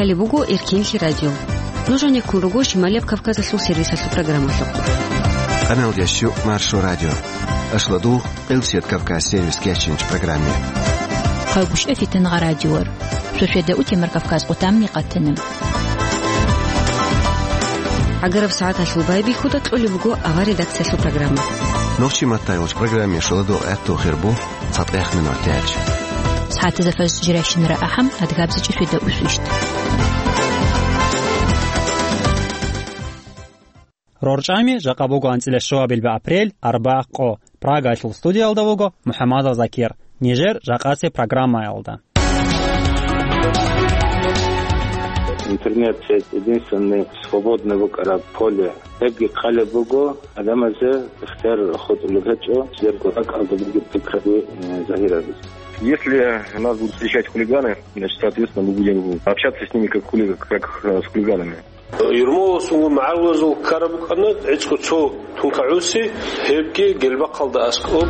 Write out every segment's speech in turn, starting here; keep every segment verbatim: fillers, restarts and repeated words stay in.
Гьале буго Эркенлъи радио. Нуж гьанеккун руго Шималияб Кавказалъул сервисалъул программалъухъ. Къаналда щу Маршо радио. Ашлу дугъ Къилсият Кавказ сервис кечинч программе. Хъагушев Фитангъа радиор. Шошведа утемар Кавказ къутамни къатанам. ГӀагараб сагӀаталъул байбихьуда кьолеб буго авар редакциялъул программа. Нохчи маттайулч программе шуладу гӀатту хирбу. Цадгъех минут тяч. СагӀатазда фаз жиращинара ахӀам, адгабзичӀи шуйда усвищт. РорчӀами жакъа буго анцӀила щуабилба апрель, арбагъ къо. Прагаялъул студиялда вуго МухӀаммадов Закир. Нижер жакъасе программаялда. Интернет сеть единственный свободный букӀараб поле. Гьебги хъалеб буго, адамазе ихтияр хутӀулеб гьечӀо, жидерго ракӀалда бугеб пикраби, э, загьирабизе. Если нас будут встречать хулиганы, значит, соответственно, мы будем общаться с ними как хулига-, как, э, с хулиганами. Юрмаласул магӀарулазул ккараб букӀана гӀицӀго цо тункагӀуси, гьебги гелбахъалда аскӀоб.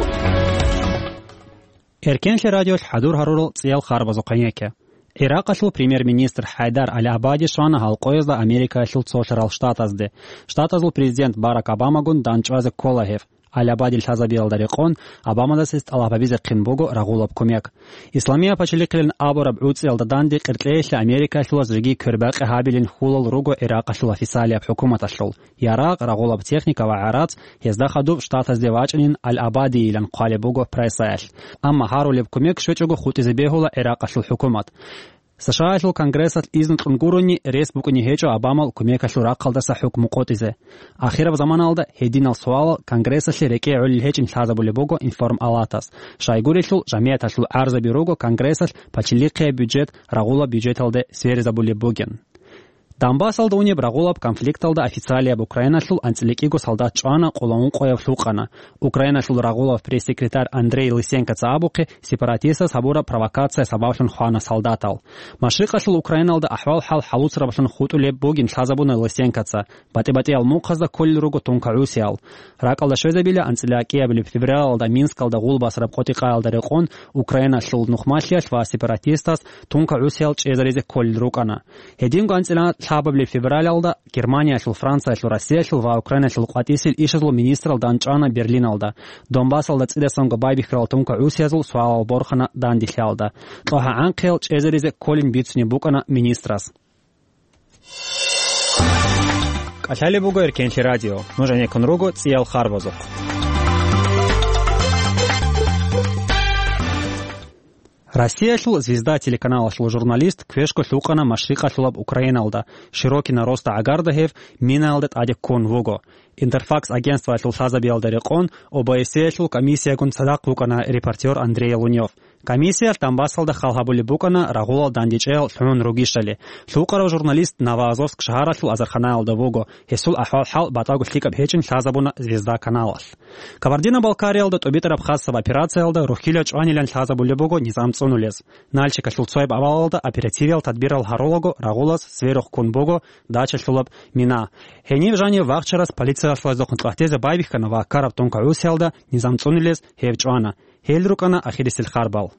Эркенлъи радиолъ хӀадур гьарурал цӀиял харбазухъ гьенекке. Гӏиракъалъул премьер-министр ХӀайдар Ал-Абади щвана гьал къоязда Америкаялъул цолъарал штатазде. Штатазул президент Барак Обамагун данчӀвазе ккола гьев. Ал-Абади лъазабиялда рекъон, Обамадаса гьес тӀалаб гьабизехъин буго рагъулаб кумек. Исламияб пачалихъилин абураб гӀуцӀиялда данде къеркьеялъе Америкаялъулаз жеги квербакъи гьабилин хьулал руго Гӏиракъалъул официалияб хӀукуматалъул. Ярагъ, рагъулаб техника ва гӀарац гьезда хадуб штатазде вачӀанин Ал-Абадийилан хъвалеб буго прессаялъ. Амма гьарулеб кумек щвечӀого хутӀизе бегьула Гӏиракъалъул хӀукумат. СШАялъул Конгрессалъ изну кьун гурони, рес букӀине гьечӀо Обамал кумекалъул рахъалдаса хӀукму къотӀизе. Ахираб заманалда гьединал суалал Конгрессалъе рекӀее гӀолел гьечӀин лъазабулеб буго Информ-Алатас. Щайгурелъул, жамигӀаталъул гӀарзаби руго Конгрессалъ пачалихъияб бюджет рагъулаб бюджеталде сверизабулеб бугин. Донбассалда унеб рагъулаб конфликталда официалияб Украиналъул анцӀила кӀиго солдат чӀвана, къоло ункъояб лъукъана. Украиналъул рагъулаб пресс-секретарь Андрей Лысенкоца абухъе, сепаратистаз гьабураб провокация сабаблъун хвана солдатал. Машрикъалъул Украиналда ахӀвал-хӀал хӀалуцараблъун хутӀулеб бугин лъазабуна Лысенкоца. БатӀи-батӀиял мухъазда кколел руго тункагӀусиял. РакӀалда щвезабила анцӀила кӀиабилеб февралалда Минскалда гъул басараб къотӀи-къаялда рекъон Украиналъул нухмалъиялъ ва сепаратистаз тункагӀусиял чӀезаризе кколел рукӀана. Гьединго анцӀила лъабабилеб февралалда Германиялъул, Франциялъул, Россиялъул ва Украиналъул къватӀисел ишазул министрал данчӀвана Берлиналда, Донбассалда цӀидасанго байбихьарал тункагӀусиязул суалал борхана данделъиялда. КьогӀа-гӀанхъиял чӀезаризе кколин бицунеб букӀана министрас. КӀалъалеб буго Эркенлъи радио. Нуж гьанеккун руго цӀиял харбазухъ. Россиялъул «Звезда» телеканалалъул журналист квешго лъукъана Машрикъалъулаб Украиналда, Широкино-Роста гӀагарда гьев минаялда тӀаде ккун вуго. Интерфакс агентствоялъул лъазабиялда рекъон, ОБСЕ-ялъул комиссиягун цадахъ вукӀана репортер Андрей Лунёв. Комиссиялъ Донбассалда хал гьабулеб букӀана рагъулал дандечӀеял лъугӀун ругищали. Лъукъарав журналист Новоазовск шагьаралъул азарханаялда вуго, гьесул ахӀвал-хӀал батӀаго лъикӀаб гьечӀин лъазабуна «Звезда» каналалъ. Кабардино-Балкариялда тӀубитӀараб хасаб операциялда рухьила чӀванилан лъазабулеб буго низам цӀунулез. Нальчикалъул цояб авалалда оперативиял тадбирал гьарулаго рагъулаз сверухъ ккун буго дачалъулаб мина. Гьенив жанив вахчарас полициялъул гьаздухъун кьватӀизе байбихьана ва ккараб тункагӀусиялда низам цӀунулез гьев чӀвана. Гьел рукӀана ахирисел харбал.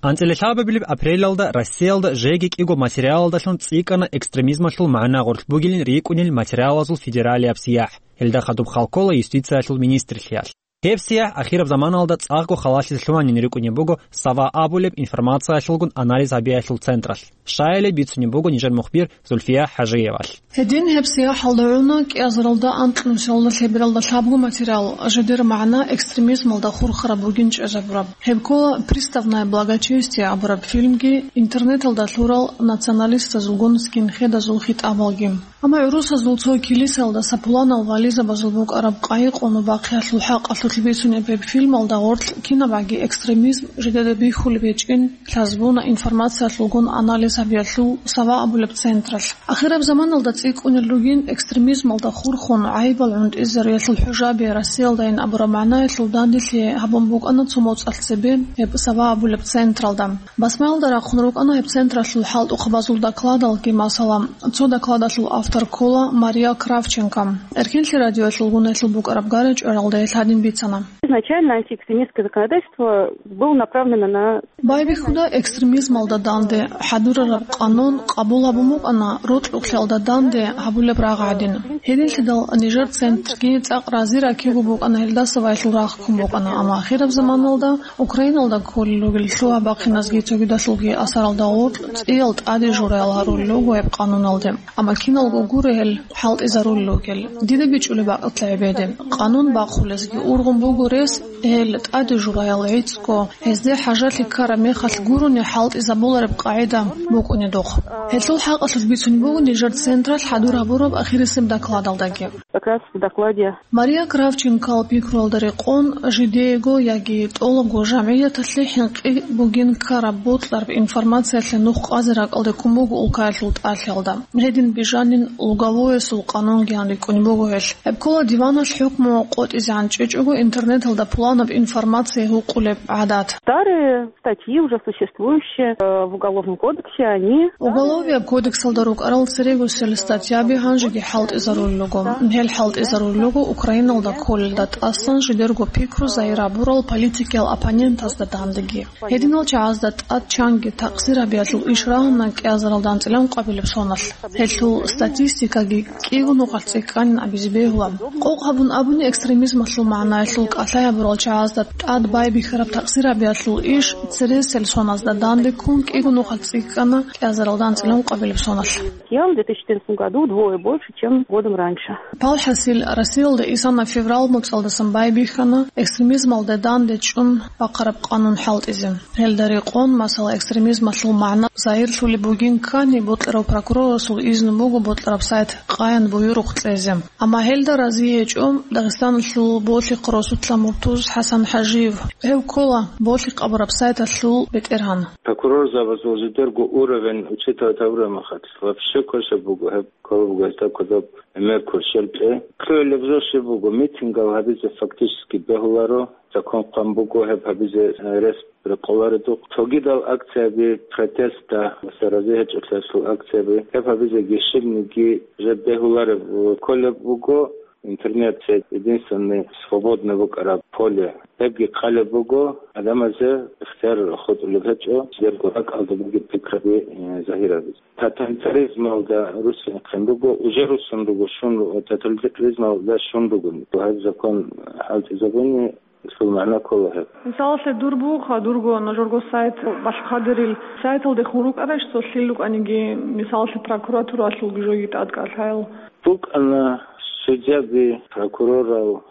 АнцӀила лъабабилеб апрелалда Россиялда жеги кӀиго материалалдалъун цӀикӀкӀана экстремизмалъул магӀна гъорлъ бугилин рикӀкӀунел материалазул федералияб сияхӀ. Гьелда хадуб хал ккола юстициялъул министрлъиялъ. Гьеб сияхӀ ахираб заманалда цӀакъго халалъизе лъугьанин рикӀкӀунеб буго «Сава» абулеб информациялъулгун анализ гьабиялъул централъ. Щайилеб бицунеб буго нижер мухбир Зульфия ХӀажиевалъ. Гьедин гьеб сияхӀалда гӀуна кӀиазаралда анкьнусиялда лъебералда лъабго материал, жидер магӀна экстремизмалда хурхараб бугин чӀезабураб. Гьеб ккола «Приставная благочестия» абураб фильмги, интернеталда лъурал националистазулгун скинхедазул хитӀабалги. Амма гӀурусазул цо килисаялдаса пуланал вализабазул букӀараб къайи-къуну бахъиялъул хӀакъалъулъ бицунеб гьеб фильмалда гъорлъ кинабгӀаги экстремизм жидеда бихьулеб гьечӀин лъазабуна информациялъулгун анализ гьабиялъул Сава абулеб централъ. Ахираб заманалда цӀикӀкӀунел ругин экстремизмалда хурхун гӀайибал гӀунтӀизариялъул хӀужаби Россиялдайин абураб магӀнаялъул данделъи гьабун букӀана цо моцӀалъ цебе гьеб Сава абулеб централда. Басмаялда рахъун рукӀана гьеб централъул хӀалтӀухъабазул докладалги, масала, цо докладалъул автор ккола Мария Кравченко. Эркенлъи радиоялъулгун гьелъул букӀараб гара-чӀваралда гьел гьадин бицана. Изначально антиэкстремистское законодательство было направлено на Байбихьуда экстремизмалда данде хӀадурараб къанун къабул гьабун букӀана рокьукълъиялда данде гьабулеб рагъ гӀадин. Гьединлъидал нижер центрги цӀакъ рази ракиго букӀана гьелдаса ва гьелъул рагъ ккун букӀана, амма ахираб заманалда Украиналда кколел ругел лъугьа-бахъиназги цогидалъулги асаралда гъоркь цӀиял тӀаде жураял гьарулел руго гьеб къануналде. Амма киналго гуро гьел хӀалтӀизарулел ругел. Дида бичӀчӀулеб бакӀалда гӀебеде. Къанун бахъулезги ургъун буго рес, гьел тӀаде жураял гӀицӀго, гьезде хӀажалъи ккараб мехалъ гурони хӀалтӀизабулареб къагӀида букӀунедухъ. Гьелъул хӀакъалъулъ бицунеб буго нижер централъ хӀадур гьабураб ахирисеб докладалдаги. Как раз в докладе Мария Кравченкоял пикруялда рекъон, жидеего яги тӀолабго жамгӀияталъе хӀинкъи бугин ккараб бокьараб информациялъе нух къазе ракӀалде ккун буго улкаялъул тӀалъиялда. Гьедин бижанин лугавоясул къанунгиян рикӀкӀунеб буго гьелъ. Гьеб ккола диваналъ хӀукму къотӀизегӀан чӀечӀого интернеталда пуланаб информация гьукъулеб гӀадат. Старые статьи, уже существующие, э, в Уголовном кодексе, они Уголовияб кодексалда рукӀарал церегосел статьяби гьанжеги хӀалтӀизарулел руго. Гьел хӀалтӀизарулел руго Украиналда кколелда тӀасан жидерго пикру загьир гьабурал политикиял оппонентазда дандеги. Гьединал чагӀазда тӀад чанги такъсир гьабиялъул иш рагьана кӀиазаралда анцӀила ункъабилеб соналъ. Гьелъул статистикаги кӀиго нухалъ цӀикӀкӀанин абизе бегьула. Къокъ гьабун абуни, экстремизмалъул магӀнаялъул кӀалъай гьабурал чагӀазда тӀад байбихьараб такъсир гьабиялъул иш цересел соназда данде ккун кӀиго нухалъ цӀикӀкӀана кӀиазаралда анцӀила ункъабилеб соналъ. Съел в две тысячи четырнадцатом году вдвое больше, чем годом раньше. Палхасил Россиялда исана феврал моцӀалдасан байбихьана экстремизмалда данде чӀун бахъараб къанун хӀалтӀизе. Гьелда рекъон, масала, экстремизмалъул магӀна загьирлъулеб бугин ккани, бокьарав прокурорасул изну буго бокьараб сайт къаян буюрухъ кьезе. Амма гьелда рази гьечӀо Дагъистаналъул болъихъ росулъа муртуз ХӀасан ХӀажиев. Гьев ккола болъихъ абураб сайталъул бетӀергьан. Прокурорзабазул жидерго уровень учитывать гьабураб мехалъ, вообще квешаб буго гьеб, ккола буго гьесда кодоб гӀемер кверщел кье. Кколеб жо щиб буго, митингал гьабизе фактически бегьуларо, закон хъван буго гьеб гьабизе, э, рес рекъоларедухъ. Цогидал акцияби, протестда ва саразе гьечӀолъиялъул акцияби, гьеб гьабизеги щибниги жеб бегьулареб, э, кколеб буго. Интернет це единственный свободный букӀараб поле. Гьебги къалеб буго, гӀадамазе ихтияр хутӀулеб гьечӀо, жидерго ракӀалда бугеб пикраби, э, загьирабизе. Тоталитаризмалда руссинхъин буго, уже руссун руго, щун руго, тоталитаризмалда щун ругони. Гьаб закон хӀалтӀизабуни, исул магӀна ккола гьеб. Мисалалъе, дур бугоха, дурго нужерго сайт балъухъадерил сайталдехун рукӀарищ цо лъил рукӀаниги, мисалалъе, прокуратуралъулги жоги тӀадкӀалъаял? БукӀана судьяби, прокурорал,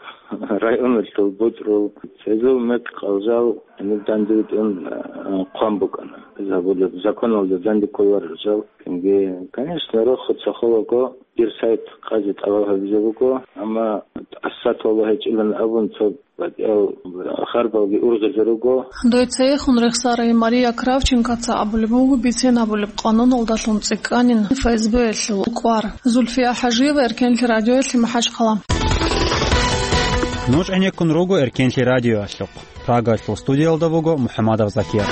районалъул бутӀрул, цезул мекъ-къалжал гьениб дандивитӀун, а, хъван букӀана. Забулеб законалда данде кколарел жал. Кинги, конечно, рохо цохолаго дир сайт къазе тӀалаб гьабизе буго, амма тӀаса тола гьечӀилан абун цо батӀиял харбалги ургъизе руго. Дой цейхун рехсарай Мария Кравченкоца абулеб буго бицен гьабулеб къануналдалъун цӀикӀкӀанин ФСБ-ялъул кӀвар. Зульфия ХӀажиева, Эркенлъи радиоялъе, МахӀачхъала. Нуж гӀенеккун руго Эркенлъи радиоялъухъ. Прагаялъул студиялда вуго МухӀамадов Закир.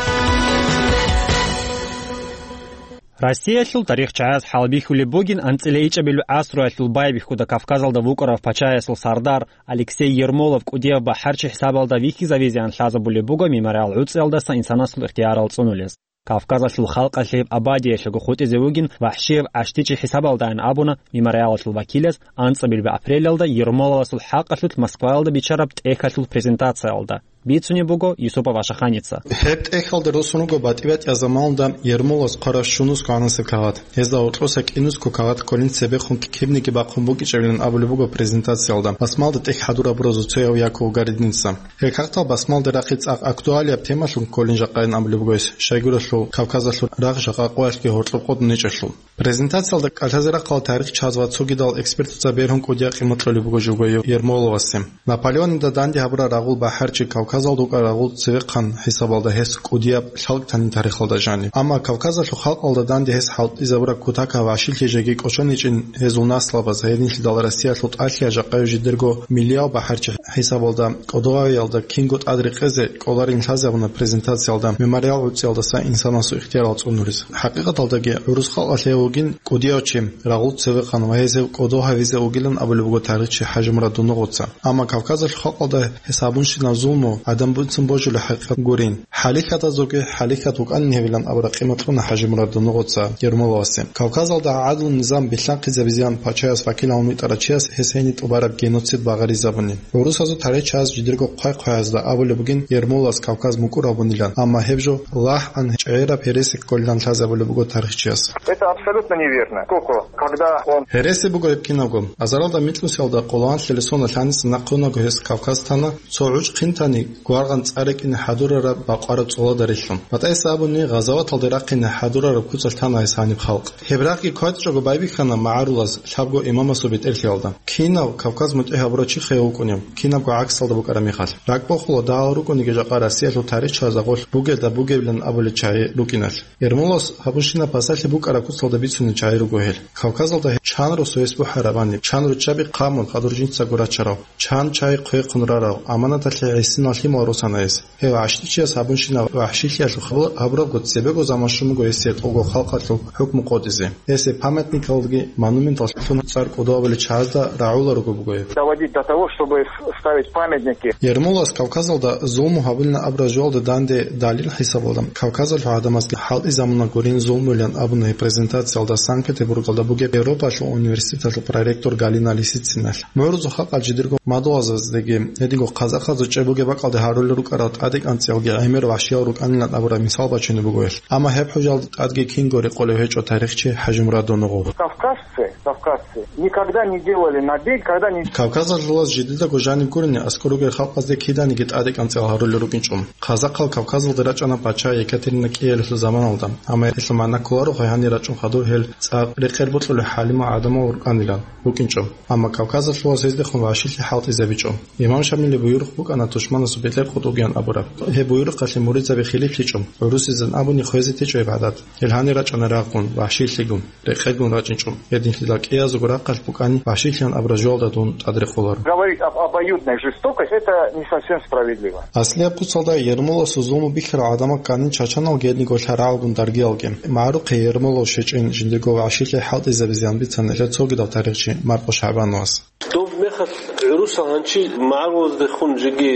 Россиялъул тарихчагӀаз хӀалбихьулеб бугин анцӀила ичӀабилеб гӀасруялъул байбихьуда Кавказалда вукӀарав пачаясул сардар Алексей Ермолов кӀудияб бахӀарчи хӀисабалда вихьизавизеян лъазабулеб буго мемориал гӀуцӀиялдаса инсанасул ихтиярал цӀунулез. Кавказалъул халкъалъе гьеб абадиялъего хутӀизе вугин вахӀшияб гӀащтичи хӀисабалдайин абуна мемориалалъул вакилаз анцӀабилеб апрелалда Ермоловасул хӀакъалъулъ Москваялда биччараб тӀехьалъул презентациялда. Бицунеб буго Юсупов Ашаханица. Гьеб тӀехьалда росун руго батӀи-батӀияб заманалда Ермоловас хъварав щунусго гӀанасеб кагъат. Гьезда гьоркьоса кӀинусго кагъат кколин цебехун ккибниги бахъун букӀинчӀебилан абулеб буго презентациялда. Басмалда тӀехь хӀадур гьабуразул цояв Яков Гаридинца. Гьел кагътал басмалда рахъи цӀакъ актуалияб темалъун кколин жакъайин абулеб буго гьес, щайгурелъул Кавказалъул рагъ жакъа къоялъги гьоркьоб къотӀничӀелъул. Презентациялда кӀалъазе рахъарал тарихчияз ва цогидал экспертаца бергьун кӀудияб къимат кьолеб буго жого Ермоловасе. Наполеонида данде гьабураб рагъул бахӀарчи Кавказалда вукӀараб рагъул цевехъан хӀисабалда гьес кӀудияб лъалкӀ танин тарихалда жаниб. Амма Кавказалъул халкъалда данде гьес хӀалтӀизабураб кутакаб вагӀшилъи жеги кӀочон гьечӀин гьезул наслабаз, гьединлъидал Россиялъул тӀалъияб жакъа жидерго миллияв бахӀарчи хӀисабалда кӀодо гьавиялда кинго тӀад рекъезе кӀоларин лъазабуна презентациялда мемориал гӀуцӀиялдаса инсанасул ихтиярал цӀунулес. ХӀакъикъаталдаги гӀурус халкъалъ гьев вугин кӀудияв чи, рагъул цевехъан ва гьез гьев кӀодо гьавизе вугилан абулеб буго тарихчи ХӀажимурад Дунугъоца. Амма Кавказалъул халкъалда гьес гьабунщинаб зулму гӀадамбицун божулеб хӀакъикъат гурин. ХӀалихьадазулги хӀалихьад вукӀанин гьевилан абураб къимат кьуна ХӀажимурад Дунугъоца Ермоловасе. Кавказалда гӀадлу низам билълъанхъизабизеян пачаяс вакил гьавун витӀарав чияс гьес гьениб тӀубараб геноцид багъаризабуни. ГӀурусазул тарихчияс жидерго хъвай-хъваязда абулеб бугин Ермоловас Кавказ мукӀур гьабунилан, амма гьеб жо лагьан чӀегӀераб гьереси кколилан лъазабулеб буго тарихчияс. Это абсолютно неверно. Сколько, когда он Гьереси буго гьеб кинабго. Азаралда микьнусиялда къоло анлъабилеб соналъ гьаниса нахъе унаго гьес Кавказ тана, цо гӀучӀ хъинтани гваргъан цӀар рекӀине хӀадурараб бакъвараб цӀолада релълъун. БатӀайса абуни, гъазаваталде рахъине хӀадурараб куцалъ тана гьес гьаниб халкъ. Гьеб рагъги кватӀчӀого байбихьана магӀарулаз лъабго имамасул бетӀерлъиялда. Кинав Кавказ мутӀигӀ гьабурав чи хвей вукӀунев, кинабго гӀаксалда букӀараб мехалъ. РакӀбохула, дагьал рукӀунеги жакъа Россиялъул тарихчияз гъолъ бугелда бугебилан абулел чагӀи букӀиналъ. Ермоловас гьабунщинаб пасалъи букӀараб куцалда бицунел чагӀи руго гьел. Кавказалда гьеб чан росу гьес бухӀарабани, чан руччаби хъамун хадур жинцаго рачарав, чан чагӀи хъвехъун рарав, аманаталъе гӀисинал лъимал росана гьес. Гьев гӀащтӀичияс гьабунщинаб вагӀшилъиялъул хабар гьабурабго цебего заман щун буго гьесие тӀолго халкъалъул хӀукму къотӀизе. Гьесие памятникалги монументал лъун цӀар кӀодо гьабулел чагӀазда рагӀула руго буго гьеб. Доводить до того, чтобы ставить памятники. Ермоловас Кавказалда зулму гьабулин абураб жоялда данде далил хӀисабалда, Кавказалъул гӀадамазги хӀалтӀизабуна гурин зулмуйилан абуна гьеб презентациялда Санкт-Петербургалда бугеб Европалъул университеталъул проректор Галина Лисицинал. МугӀрузул халкъал жидерго мадугьалзаздеги, гьединго казахазул чӀеб бугеб бакӀалде гьарулел рукӀарал тӀадекӀанцӀиялги гӀемер вагьшиял рукӀанилан абураб мисал бачунеб буго гьелъ. Амма гьеб хӀужалда тӀадги кинго рекъолев гьечӀо тарихчи ХӀажимурад Дунугъов. Кавказцы, кавказцы никогда не делали набег, когда не Кавказалъулаз жидедаго жаниб гурони аскӀор ругел халкъазде киданиги тӀадекӀанцӀиял гьарулел рукӀинчӀо. Казахъал Кавказалде рачӀана пача Екатерина кӀиялъул заманалда, амма гьелъул магӀна кколаро гьанир рачӀун хадур гьел цӀакъ рекъер бокьулел хӀалимал гӀадамал рукӀанилан рукӀинчӀо. Амма Кавказалъулаз гьездехун вагӀшилъи хӀалтӀизабичӀо. Имам Шамилил буюрухъ букӀана тушманасул бетӀер къотӀугеян абураб. Гьеб буюрухъалъе муридзаби хилиплъичӀо, гӀурусизан абуни хвезе течӀо гьеб гӀадат. Гьел гьанир рачӀана рагъгун, вагӀшилъигун, рекъегун рачӀинчӀо. Гьединлъидал кӀиязулго рахъалъ букӀани вагӀшилъиян абураб жоялда дун тӀад рекъоларо. Говорить об обоюдной жестокости, это не совсем справедливо. Аслияб куцалда Ермоловасул зулму бихьарал гӀадамал кканин чачаналги гьединго лъарагӀалгун даргиялги. МагӀарухъе Ермолов щечӀин жиндирго вагӀшилъи хӀалтӀизабизеян бицана гьелда цогидав тарихчи Маркъо ШагӀбановас. Доб мехалъ гӀурусал гьанчи магӀарулаздехун жеги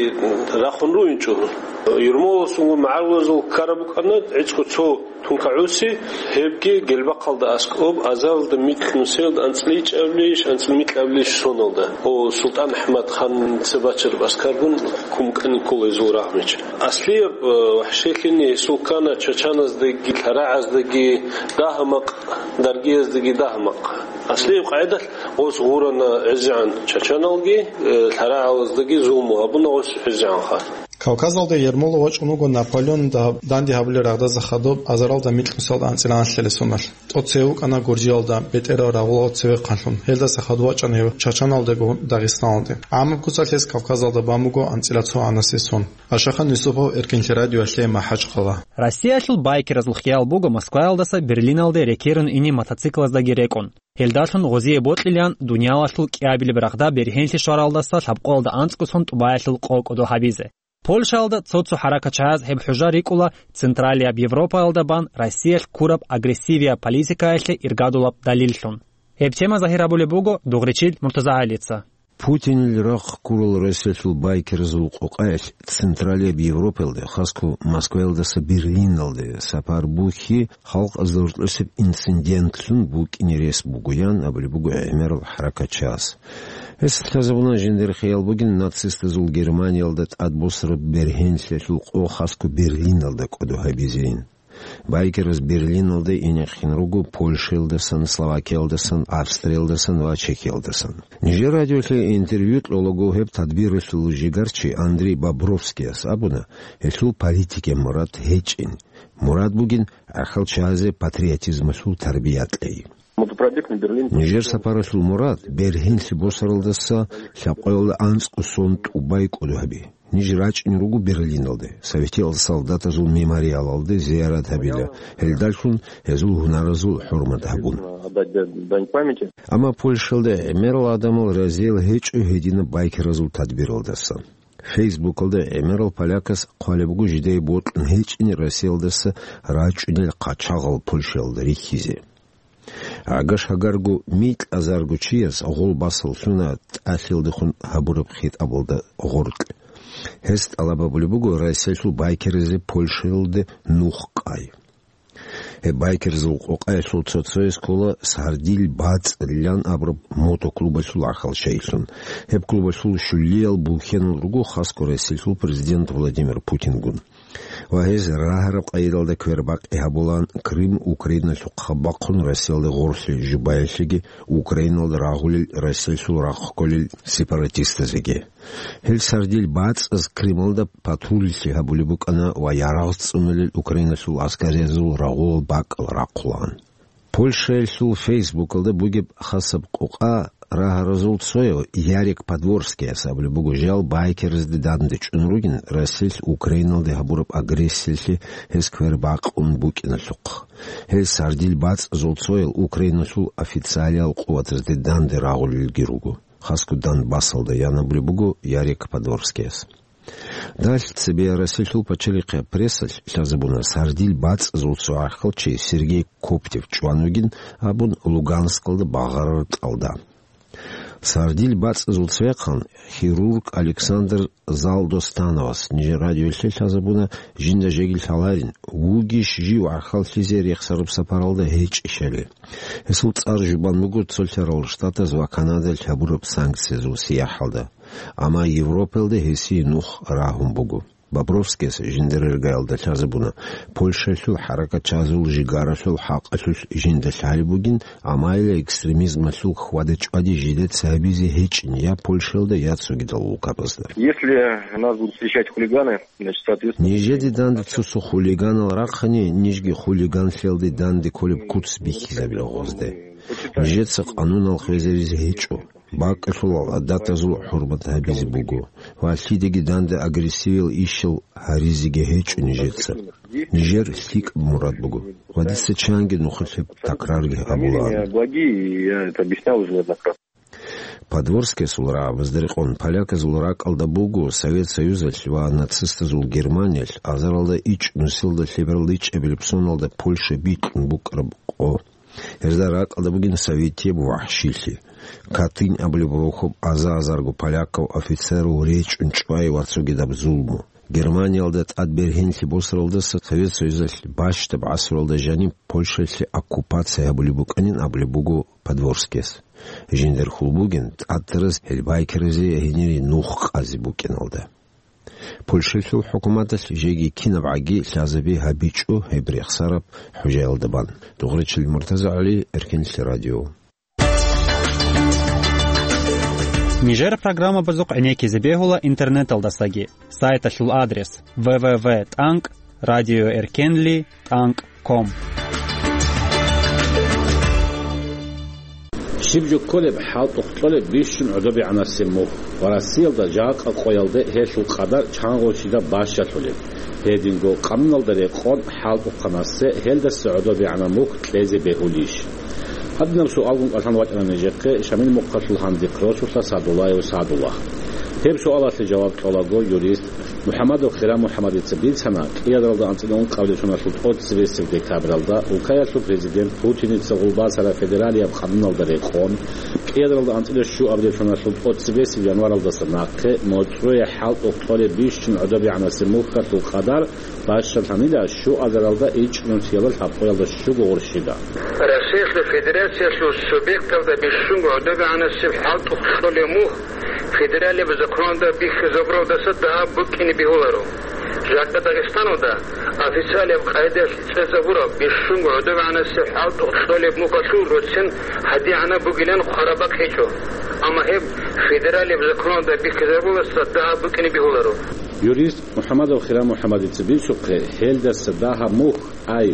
рахун руинчӀо. Ермоловасунго магӀарулазул ккараб букӀана гӀицӀго цо тункагӀуси, гьебги Гелбахъалда аскӀоб, азаралда микь нусиялда анцӀила ичӀабилищ, анцӀила микьабилищ соналда. О, СултӀан АхӀмад ханца бачараб аскаргун ккун ккани ккола гьезул рагъмечи. Аслияб, э, вагӀшилъиялъе гьесул ккана чачаназдаги, лъарагӀаздаги, дагьа-макъ, даргияздаги дагьа-макъ. Аслияб къагӀидалъ гъос гъурана гӀезегӀан чачаналги, э, лъарагӀалаздаги зулму гьабуна гъос гӀезегӀанха. Кавказалде Ермолов вачӀун вуго Наполеон да-, данде гьабулел рагъдаса хадуб азаралда микьнусиялда анцӀила анлъабилеб соналъ. ТӀоцеве вукӀана Гуржиялда, бетӀерал рагъулал цевехъанлъун. Гьелдаса хадуб вачӀана гьев чачаналдего Дагъистаналде. ГӀамаб куцалъ гьес Кавказалда бан буго анцӀила цо гӀанасе сон. Ашахан Юсупов, Эркинлъи радиоялъе, МахӀачхъала. Россиялъул байкерзул хиал буго Москваялдаса Берлиналде рекерун ине мотоциклаздаги рекӀун. Гьелдалъун гъозие бокьилаан дуниялалъул кӀиабилеб рагъда бергьенлъи щваралдаса лъабкъоялда анцӀго сон тӀубаялъул къо кӀодо гьабизе. Польшаялда цо-цо хӀаракатчагӀаз гьеб хӀужа рикӀкӀуна Централияб Европаялда бан Россиялъ ккураб агрессивияб политикаялъе иргадулаб далиллъун. Гьеб тема загьир гьабулеб буго Дугъричил МуртазагӀалица. Путинил рахъ ккурал Россиялъул байкерзул къокъаялъ Централияб Европаялде, хасго Москваялдаса Берлиналде сапар бухьи, халкъазда гьоркьосеб инцидентлъун букӀине рес бугоян абулеб буго гӀемерал хӀаракатчагӀаз. Гьес лъазабуна жиндир хиял бугин нацистазул Германиялда тӀадбосараб бергьенлъиялъул къо хасго Берлиналда кӀодо гьабизейин. Байкераз Берлиналде инехъин руго Польшаялдасан, Словакиялдасан, Австриялдасан ва Чехиялдасан. Нижер радиолъе интервью кьолаго гьеб тадбиралъул жигарчи Андрей Бобровскияс абуна, гьелъул политикияб мурад гьечӀин. Мурад бугин гӀахьалчиязе патриотизмалъул тарбия кьей. Мотопробег на Берлин. Нижер сапаралъул мурад Берлинлъи босаралдаса лъабкъоялда анцӀго сон тӀубай кӀодо гьаби. Ниж рачӀун руго Берлиналде, советиял солдатазул мемориалалде зиярат гьабила, гьелдалъун гьезул гьунаразул хӀурмат гьабун. Отдать дань памяти. Амма Польшалда гӀемерал гӀадамал разиял гьечӀо гьединаб байкеразул тадбиралдаса. Фейсбукалда гӀемерал полякас хъвалеб буго жидее бокьун гьечӀин Россиялдаса рачӀунел хъачагъал Польшаялда рихьизе. Гьагаш-гьагарго микьазарго чияс гъол басаллъуна тӀалъиялдехун гьабураб хитӀабалда гъоркь. Гьес тӀалаб гьабулеб буго Россиялъул байкеразе Польшаялде нух къай. Гьеб байкерзул къокъаялъул цо-цояс ккола Сардиль бацӀцӀилан абураб мотоклубалъул гӀахьалчайилъун. Гьеб клубалъул щулиял бухьенал руго хасго Россиялъул президент Владимир Путингун. Ва гьез рагьараб къайдалда квербакъи гьабулаан Крым Украиналъухъ бахъун Россиялде гъорлъе жубаялъеги Украиналда рагъулел Россиялъул рахъ кколел сепаратистазеги. Гьел Сардиль бацӀцӀаз Крымалда патруллъи гьабулеб букӀана ва ярагъ цӀунулел Украиналъул аскариязул рагъулал бакӀал рахъулаан. Польшаялъул Фейсбукалда бугеб хасаб къокъа рагьаразул цояв Ярик Подворскияс абулеб буго жал байкерзде данде чӀун ругин Россиялъ Украиналде гьабураб агрессиялъе гьес квер бакъун букӀиналъухъ. Гьел Сардиль бацӀцӀазул цоял Украиналъул официалиял къуватазде данде рагъулелги руго. Хасго Донбассалда ян абулеб буго Ярик Подворскияс. Далъ цебе Россиялъул пачалихъе прессалъ лъазабуна Сардиль бацӀцӀазул цо гӀахьалчи Сергей Коптев чӀван вугин абун Луганскалда багъарараб кьалда. Сардиль бацӀцӀазул цевехъан хирург Александр Залдостановас нижер радиоялъе лъазабуна жинда жеги лъаларин, вугищ жив гӀахьаллъизе рехсараб сапаралда гьечӀищали. Гьесул цӀар жубан буго цолъарал штатаз ва Канадалъ гьабураб санкциязул сияхӀалда. Амма Европаялда гьесие нух рагьун буго. Бобровскияс жиндирергаялда лъазабуна, Польшаялъул хӀаракатчазул жигаралъул хӀакъалъулъ жинда лъалеб бугин, амма гьеле экстремизмалъул хьвада-чӀвади жидеца гьабизе гьечӀин я Польшаялда, я цогидал улкабазда. Если нас будут встречать хулиганы, значит, соответственно... Нижеде данде цо-цо хулиганал рахъани, нижги хулиганлъиялде данде кколеб куц бихьизабила гъозде. Нижеца къанунал хвезаризе гьечӀо. БакӀалъулал гӀадатазул хӀурмат гьабизе буго ва лъидаги данде агрессивиял ишал гьаризеги гьечӀо нижеца. Нижер лъикӀаб мурад буго. Ва дица чанги нухалъ гьеб такрарги гьабулаан. Благие, я это объяснял уже неоднократно. Подворскиясул рагӀабазда рекъон, поляказул ракӀалда буго Совет Союзалъ ва нацистазул Германиялъ азаралда ичӀ нусилда лъебералда ичӀабилеб соналда Польша бикьун букӀараб къо. Гьезда ракӀалда бугин советияб вахӀшилъи. Катынь абулеб рохьоб аза-азарго полякав офицерал речӀун чӀвай ва цогидаб зулму. Германиялда тӀад бергьенлъи босаралдаса Совет Союзалъ бащдаб гӀасруялда жаниб Польшалъе оккупация гьабулеб букӀанин абулеб буго Подворскияс. Жиндер хьул бугин тӀад тараз гьел байкеразе гьенире нух къазе букӀиналда. Польшалъул хӀукуматалъ жеги кинабгӀаги лъазаби гьабичӀо гьеб рехсараб хӀужаялда бан. Дугъричил Муртазагьали, Эркенлъи радио. Нижер программабазухъ гӀенеккизе бегьула интернеталдасаги. Сайталъул адрес: www.radioerkenli.com. Щиб жо кколеб хӀалтӀухъ кьолеб бищун гӀодобегӀанасеб мухь ва Россиялда жакъа къоялде гьелъул къадар чангъурщидаб бащалъулеб? Гьединго къануналда рекъон хӀалтӀухъанасе гьелдаса гӀодобегӀана мухь кьезе бегьулищ? Гьадинаб суалгун кӀалъан вачӀана нижехъе Шамил мухъалъул гьандихъ росулъа Садуллаев Садуллагь. Гьеб суалалъе жаваб кьолаго юрист МухӀамадов Хира МухӀамадица бицана, кӀиадаралда анцӀила ункъабилеб соналъул тӀоцебесеб декабралда улкаялъул президент Путиница гъулбасараб федералияб къануналда рекъон, кӀиадаралда анцӀила щуабилеб соналъул тӀоцебесеб январалдаса нахъе моцӀрое хӀалтӀухъ кьолеб бищун гӀодобегӀанасеб мухьалъул къадар бащалъанила щуазаралда ичӀнусиялда лъабкъоялда щуго гъурщида. Россиялъул Федерациялъул субъекталда бищунго гӀодобегӀанасеб хӀалтӀухъ кьолеб мухь федералияб законалда бихьизабуралдаса дагьаб букӀине бегьуларо. Дагъистаналда официалияб къайдалъ цӀезабураб бищунго гӀодобегӀанасе хӀалтӀухъ кьолеб мухьалъул роцин гьадигӀанаб бугилан хъвараб бакӀ гьечӀо. Амма гьеб федералияб законалда бихьизабуласда дагьаб букӀине бегьуларо. Юрист МухӀамадов Хирам МухӀамадица бицухъе, гьелдаса дагьаб мухь, ай,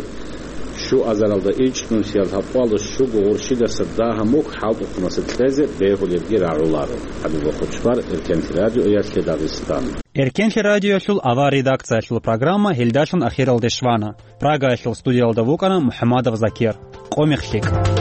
щуазаралда ичӀнусиялда гьаб къоялда щуго гъурщидаса дагьаб мухь хӀалтӀухъанасе кьезе бегьулебги рагӀуларо. ХӀабибул Хучбар, Эркенлъи радиоялъе Дагъистан. Эркенлъи радиоялъул авар редакциялъул программа гьелдалъун ахиралде щвана. Прагаялъул студиялда вукӀана МухӀамадов Закир. Къо мех лъикӀ.